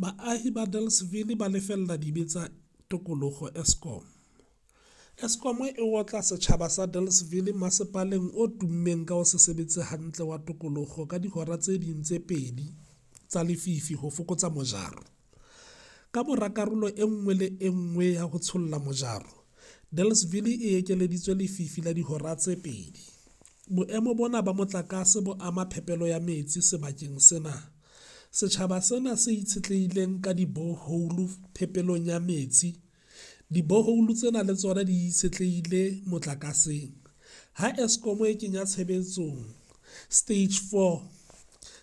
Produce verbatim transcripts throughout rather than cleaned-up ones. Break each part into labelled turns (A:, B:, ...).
A: Baahi ba Delareyville ba lefella dibe tsa tokoloho Eskom Eskom e otla setjhaba sa Delareyville masepaleng o tummeng ka ho se sebetse hantle wa Tokoloho ka dihora tse ding tse pedi tsa lefifi ho fokotsa mojaro. Kamora karolo e nngwe le e nngwe ya ho tsholla mojaro, Delareyville e ekeleditswe lefifi la dihora tse pedi. Boemo bona ba motlakase bo ama phepelo ya metsi sebakeng sena. Setjhaba sena se itshetlehileng ka di-borehole phepelong ya metsi. Di-borehole tsena le tsona di itshetlehile motlakaseng. Ha Eskom e kenya tshebetsong stage four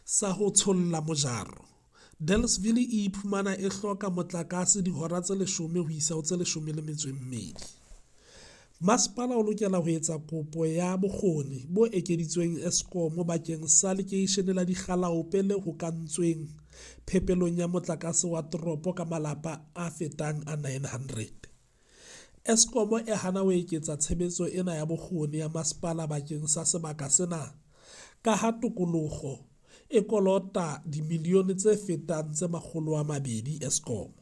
A: sa ho tsholla mojaro, Delareyville e iphumana e hloka motlakase dihora tse leshome ho isa ho tse leshome le metso e mmedi. Masepala o lokela ho etsa kopo ya bokgoni bo ekeditsweng Eskom bakeng sa lekeishene la Dikgalaope le hokahantsweng phepelong ya motlakase wa toropo ka malapa a fetang a nine hundred. Eskom e hana ho eketsa tshebetso ena ya bokgoni ya masepala bakeng sa sebaka sena kaha tokoloho e kolota dimilione tse fetang tse makgolo a mabedi Eskom.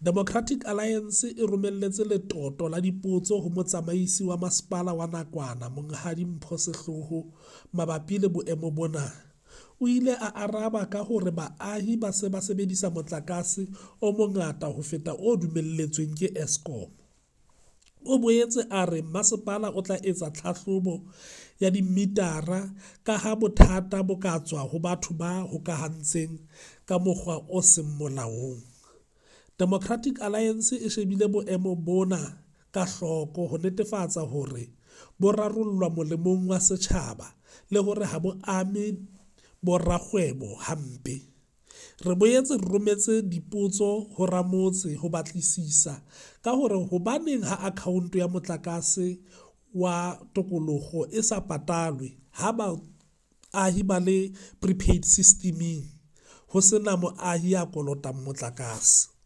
A: Democratic Alliance e romelletse letoto la dipotso ho Motsamaisi wa Masepala wa nakwana Monghadi Mpho Sehloho mabapi le boemo bona. O ile a araba ka hore baahi ba se ba sebedisa motlakase o mongata ho feta o dumelletsweng ke Eskom. O boetse a re masepala o tla etsa tlhahlobo ya dimitara kaha bothata bo ka tswa ho batho ba hokahantseng ka mokgwa o seng molaong. Democratic Alliance e shebile boemo bona ka hloko ho netefatsa hore bo rarollwa molemong wa setjhaba le hore ha bo ame borakgwebo hampe. Re boetse re rometse dipotso ho ramotse ho batlisisa ka hore hobaneng ha akhaonto ya motlakase wa tokoloho e sa patalwe ha baahi ba le prepaid system-eng ho sena moahi ya kolotang motlakase.